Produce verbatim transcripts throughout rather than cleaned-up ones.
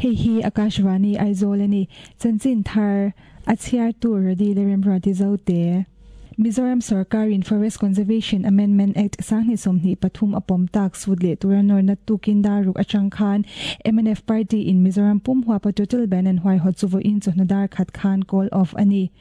Hei hi Akashvani Aizawl ani chanchin thar a chhiar tur Radi le Remruati Zote. Mizoram Sarkar in Forest Conservation Amendment Act sanghnih sawmhnih pathum a pawm tak sut leh tura nawrna tukin dar ruk atang khan M N F Party in Mizoram pum huapa total ban an huaihawt chu vawiin chawhnu dar khat khan call off a ni.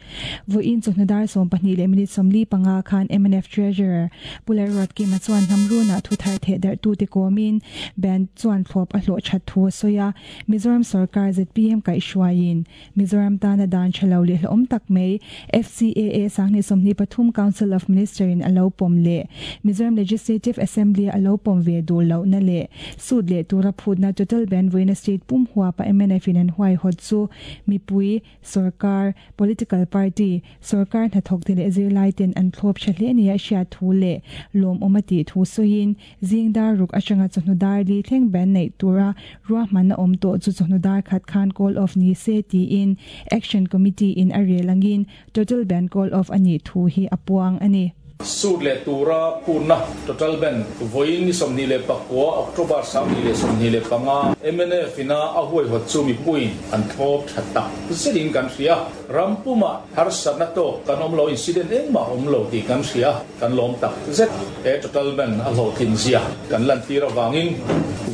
Vawiin chawhnu dar sawm pahnih leh minute sawmli panga khan M N F Treasurer Pu Lalruatkima chuan hnamruna thu thar theh darh tute kawmin ban chuan thlawp a hlawh that thu a sawi a. Mizoram Sarkar Z P M kaihhruaiin Mizoram tana dan thalo leh hlawm tak mai F C A A sanghnih sawmhnih pathum Council of Minister in alo pawm leh Mizoram Legislative Assembly alo pawm ve duh lo na leh sut leh tura phutna total ban voina state pum huapa M N F in an huaihawt chu mipui, sarkar, political party, sarkar hnathawk te leh zirlai ten an thlawp tha hle nia hriat thu leh lawm awm a tih thu sawiin zing dar ruk atanga chawhnu dar li thleng ban nei tura ruahmanna awm tawh chu chawhnu dar khat khan call off ni se tiin Action Committee in a rel angin total ban call off ani thu hi a puang ani. Sut leh tura phutna total ban vawiin ni sawmhnih leh pakua October sanghnih leh sawmhnih leh panga M N F ina a huaihawt chu mipuiin an thlawp tha tak zetin kan hria. Rampuma harsatna tawk kan awm lo, incident engmah awm lo tih kan hria, kan lawm tak zet. He total ban a hlawhtlin zia kan lan tir awangin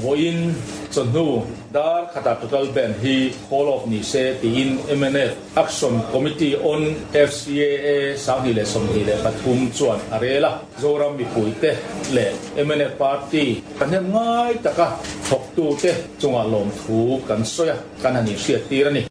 vawiin chawhnu dar khata total ban hi call off ni se tiin M N F Action Committee on F C A A sanghnih leh sawmhnih leh pathum chuan a rela. Zoram mipuite leh M N F Party kan hem ngai taka thawktu te chunga lawm thu kan sawi a, kan han inhriat tir ani.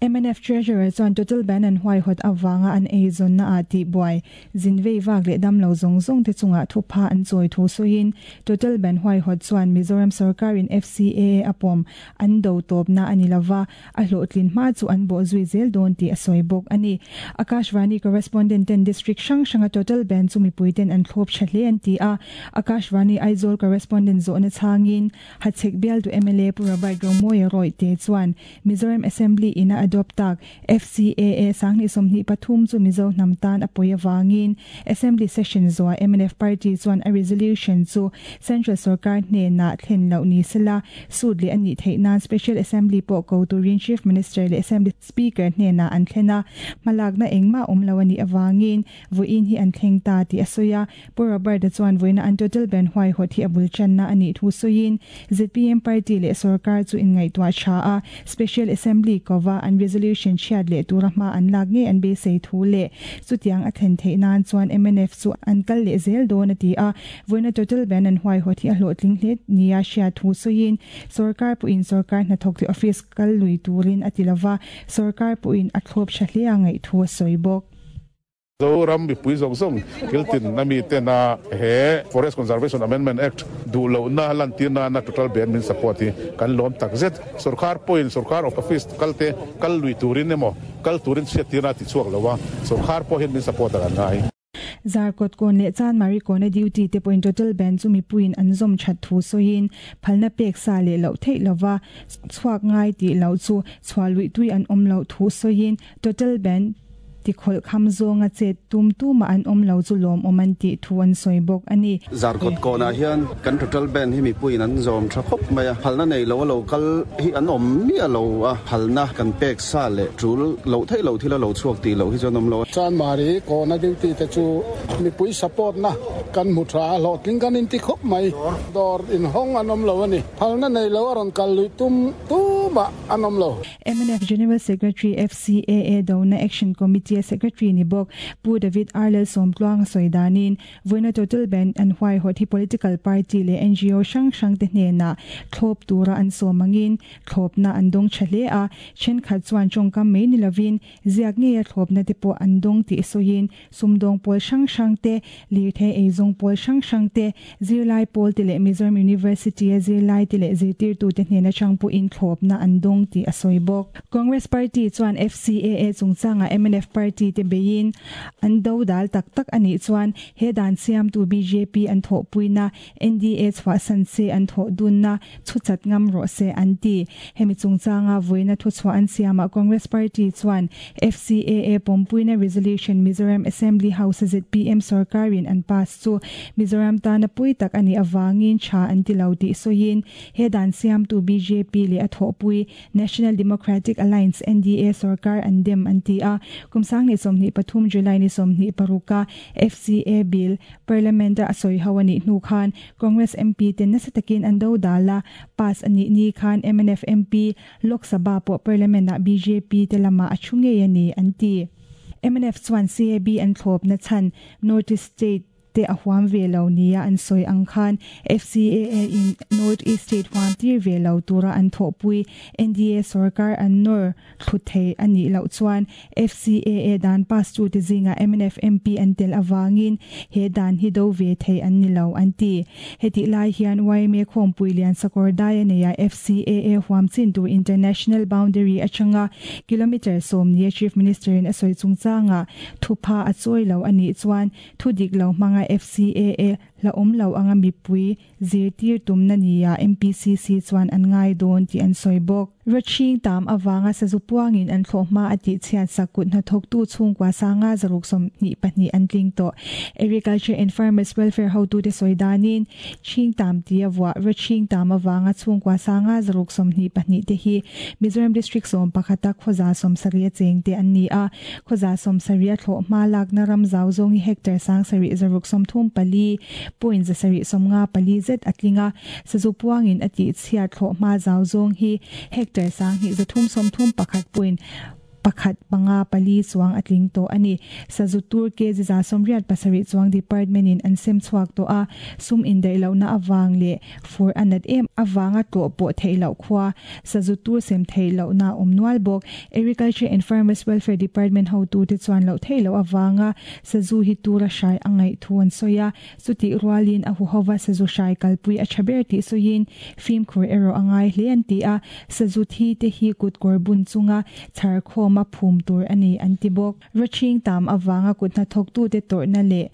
M N F Treasurer chuan total ban an huaihawt awanga an eizawn na a ti buai zinvei vak leh dam lo zawng zawng te chunga thu pha an chawi thu sawiin total ban huaihawt chuan Mizoram Sarkar in F C A A a pawm an do tawp na ani lova, a hlawhtlin hma chu an bawh zui zel dawn tih a sawi bawk ani. Akashvani correspondent ten district hrang hranga total ban chu mipui ten an thlawp tha hle an ti a. Akashvani Aizawl correspondent zawhna chhangin Hachhek bial tu M L A Pu Robert Romawia Royte chuan Mizoram Assembly ina adopt tak F C A A sanghnih sawmhnih pathum chu Mizo hnam tan a pawi awangin Assembly session zuwa M N F Party chuan a resolution chu Central Sarkar hnena thlen lo ni sela sut leh ani theih nan Special Assembly pawh ko turin Chief Minister leh Assembly Speaker hnena an thlena hmalakna engmah awm lo ani awangin vawiin hi an thleng ta ti a sawi a. Pu Robert chuan voina an total ban huaihawt hi a bul channa ani thu sawiin Z P M Party leh Sarkar chu inngaihtuah tha a Special Assembly kowa an resolution chhiat leh tura hma an lak nge an beisei thu leh chutiang a thlen theih nan chuan M N F chu an kal leh zel dawn a ti a. Voina total ban an huaihawt hi a hlawhtling hle nia hriat thu sawiin sarkar pawhin sarkar hnathawk te office kal lui turin a ti lova, sarkar pawhin a thlawp tha hle a ngaih thu a sawi bawk. Zoram mipui zawng zawng kiltin na mi te na he Forest Conservation Amendment Act duh lo na lan tir na na total ban min support hi kan lawm tak zet. Sarkar pawhin sarkar of office kalte kal lui turin emaw kal turin hriat tir na ti chuak lowa, sarkar pawh hian min support a ngai. Zarkawt kawn leh Chanmari kawna duty te pawhin total ban chu mipuiin an zawm that thu sawiin phalna pek sa leh loh theih lova chhuak ngai tih lo chu chhuah lui tui an awm lo thu sawiin total ban ti khawlh kham zawnga chet tum tuma an awm lo chu lawm awm an tih thu an sawi bawk ani. Zarkawt kawnah hian kan total ban hi mipuiin an zawm tha khawp mai a, phalna nei lo lo kal hi an awm mi a lo a, phalna kan pek sa leh tul lo thei lo thil a lo chhuak ti lo hi chuan awm lo. Chanmari kawna duty te chu mipui support na kan mu tha hlawhtling kan in ti khawp mai, dawr in hawng an awm lo ani, phalna nei lo a rawn kal lui tum tuma an awm lo. M N F General Secretary, F C A A Dona Action Committee Secretary ni bawk Pu David Arlel Somtluang sawidanin voina total ban an huaihawt hi political party leh N G O hrang hrang te hnena thlawp tura an sawmangin thlawpna an dawng tha hle a, thenkhat chuan tawngkam mai ni lovin ziak nge a thlawpna te pawh an dawng tih sawiin sumdawng pawl hrang hrang te, lirthei eizawng pawl hrang hrang te, zirlai pawl te leh Mizoram University a zirlai te leh zirtirtu te hnena chang pawhin thlawpna an dawng tih a sawi bawk. Congress Party chuan F C A A chungchanga M N F Party Party te beiin an do dal tak tak ani chuan he dan siam tu B J P an tho puina N D A chwa san se an tho dun na chu chat ngam ro se an ti. Hemi chungchanga voina thu chwa an siama Congress Party chuan F C A A pompuina resolution Mizoram Assembly House Z P M sarkarin an pass chu Mizoram tana pui tak ani awangin tha an ti lo ti soin he dan siam tu B J P le a thopui National Democratic Alliance N D A sarkar an dem an ti a. Kumsang ni somni pathum July ni somni paruka F C A bill parliament a soi hawani hnu khan Congress M P ten na satakin an do dala pass ani ni khan M N F M P Lok Sabha po parliament na B J P telama achunge yani an ti. M N F chuan C A B an thlop na chan North East State te a huam ve lo nia an soi ang khan F C A A in North East State huam tir ve lo tura an thopui N D A sarkar an nor thuthe ani lo chuan F C A A dan pass tu te zinga M N F M P an tel awangin he dan hi do ve thei an ni lo an ti. Heti lai hian Y M A khom pui lian sakor dai ne ya F C A A huam chin tu international boundary achanga kilometer som ni Chief Minister in asoi chungchanga thupa a choi lo ani chuan thu dik lo manga F C A A la om lo anga mipui zirtir tum na niya M P C C chuan an ngai don ti an soibok. Roching tam awanga sa zupuangin an thloma ati chian sakut na thok tu chungkwa sanga zaruk som ni pahni an tling to. Agriculture and Farmers Welfare ho tu te soidanin ching tam ti awwa roching tam awanga chungkwa sanga zaruk som ni pahni te hi Mizoram district som pakhata khoza som saria cheng te an ni a. Khoza som saria thloma lak na ram zaw zong hectare sang sari zaruk som thum pali point za sari som nga pali zet atlinga. Sazu puangin ati chhia thloma zaw zong hi hectare sang hi zathum som thum pakhat point pakhat panga pali chuang atling to ani. Sazu tur ke za somriat pasari chuang department in an sem chuak to a. Sum in dai lo na awang le for anat em awanga to po theilo khwa sazu tur sem theilo na omnual bok. Agriculture and Farmers Welfare Department ho tu te chuan lo theilo awanga sazu hi tura shai angai thuan soya chuti rualin a hu howa sazu shai kalpui a chaber ti soyin film khur ero angai hlean ti a. Sazu thi te hi kut kor bun chunga char khom ma phum tur ani antibok. Roching tam awanga kutna thok tu te tor na le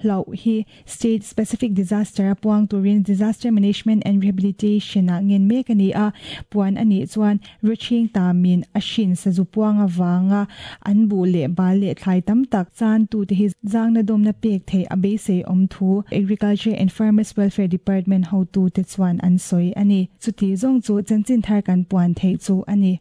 lau hi state specific disaster puang turin Disaster Management and Rehabilitation a ngen mek ani a. Puan ani chuan roching tamin ashin sazu puang awanga an bu le ba le thlai tam tak chan tu te hi jang na dom na pek thei abe se om thu Agriculture and Farmers Welfare Department ho tu te chuan an soi ani. Chuti zong chu chanchin thar kan puan thei chu ani.